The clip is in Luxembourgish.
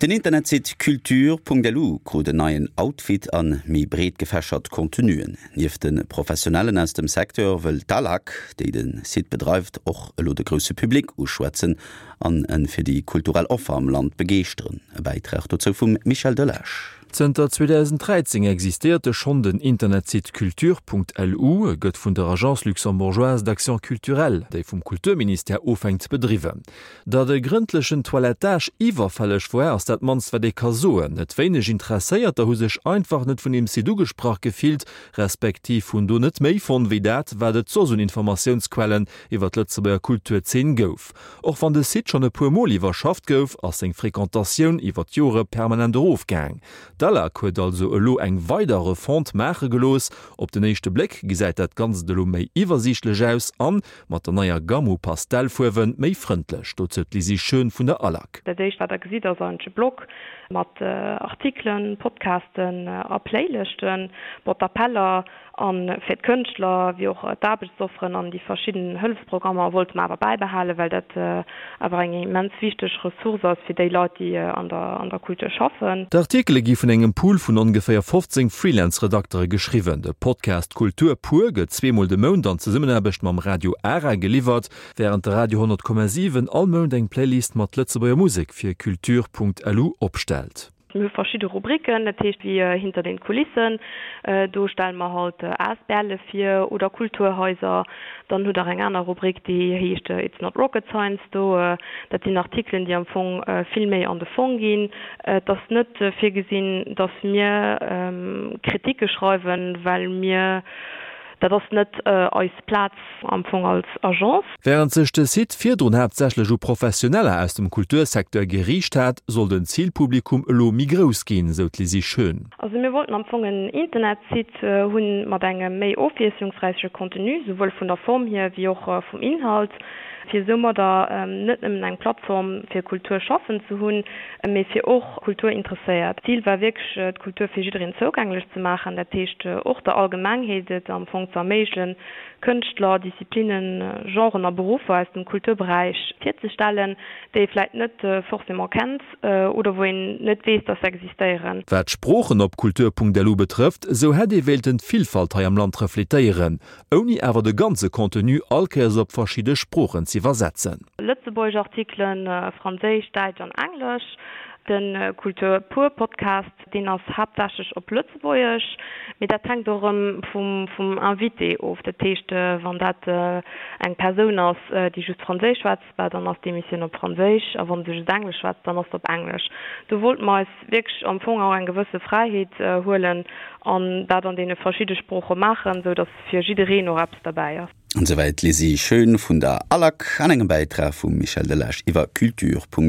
Den Internetsite culture.lu krut en neien Outfit an méi breet gefächert Contenuen. Nieft de Professionellen aus dem Secteur wëll d'ALAC, déi de Site bedreift, och elo de grousse Public uschwätzen an en fir déi kulturell Offer am Land begeeschteren. E Bäitrag dozou vum Michel Delage. Zënter 2013 existéiert de schonn den Internetsite culture.lu. E gëtt vun der Agence luxembourgeoise d'action culturelle, déi vum Kulturministère ofhänkt, bedriwwen. Datt e grëndlechen Toilettage iwwerfälleg woar, ass dat mannst wat ee ka soen. Net wéineg Interesséierter hu sech einfach net vun deem Site ugesprach gefillt, respektiv hunn do net méi fonnt wéi dat, wat et soss un Informatiounsquellen iwwer d'Lëtzebuerger Kulturzeen gouf. Och wann de Site schonn e puer Mol iwwerschafft gouf, ass seng Frequentatioun iwwer d'Jore permanent erofgaang. D'ALAC huet also elo eng weider Refonte maache gelooss. Op den éischte Bléck gesäit dat Ganzt elo méi iwwersiichtlech aus an, Mat der neier Gamme u Pastellfuerwen méi frëndlech, dozou d'Lisi Schön vun der ALAC. Dat éischt wat der gesitt ass eigentlech e Blog mat Artikelen, Podcasten a Playlëschten. Bon, d'Appeller a fir d'Kënschtler wéi och d'Aarbechtsofferen an déi verschidden Hëllefsprogrammer wollte mer awer bäibehalen, well dat awer eng immens wichteg Ressource ass fir déi Leit, déi an der an der Kultur schaffen. D'Artikele gi vun engem Pool vun ongeféier 15 Freelance-Redaktere geschriwwen. De Podcast Kultur pur gëtt zweemol de Mount an Zesummenaarbecht mam Radio Ara geliwwert, wärend de Radio 100,7 all Mount eng Playlist mat Lëtzebuerger Musek fir Culture.lu opstellt. Mir hu verschidde Rubriken, dat heescht wéi Hinter den Kulissen, do stelle mer halt Asbl'e vir oder Kulturhaiser. Dann hutt Der eng aner Rubrik, déi heescht It's not rocket science, do dat sinn Artikelen, déi am Fong vill méi an de Fong ginn. Et ass net virgesinn, datt mir Kritike schreiwen, well mir, dat ass net eis Plaz am Fong als Agence. Wärend sech de Site virdrun haaptsächlech u Professioneller aus dem Kultursecteur geriicht hat, soll den Zilpublikum elo méi grouss ginn, sou d'Lisi Schön. Also mir wollten am Fong en Internetsite hunn mat engem méi ofwiesslungsräiche Contenu, souwuel vun der Form hier wéi och vum Inhalt, fir soumadder net nëmmen eng Plattform fir Kulturschaffend ze hunn, mee fir och Kulturinteresséiert. D'Zil war wierklech d'Kultur fir jiddereen zougänglech ze maachen, dat heescht och der Allgemengheet et am Fong ze erméiglen, Kënschtler, Disziplinnen, Genren a Beruffer aus dem Kulturberäich virzestellen, déi ee vläit net forcément kennt oder wou een net weess, dass se existéieren. Wat d'Sproochen op kultur.lu betrëfft, esou hätt ee wéilten d'Villfalt hei am Land refletéieren, ouni awer de ganze Contenu all Kéiers op verschidde Sproochen z'iwwersetzen. Lëtzebuergesch Artikelen, Franséisch, Däitsch an Englesch. De Kultur pur Podcast, deen ass haaptsächlech op Lëtzebuergesch, mee dat hänkt och erëm vum Invité of. Dat heescht, wann dat eng Persoun ass, déi just Franséisch schwätzt, bah dann ass d'Emissioun op Franséisch, a wann se just Englesch schwätzt, dann ass se op Englesch. Do wollte mer eis wierklech am Fong och eng gewësse Fräiheet huelen an dat an deene verschidde Sprooche maachen, sou datt fir jiddereen och eppes derbäi ass. An souwäit d'Lisi Schön vun der ALAC an engem Bäitrag vum Michel Delage iwwer culture.lu.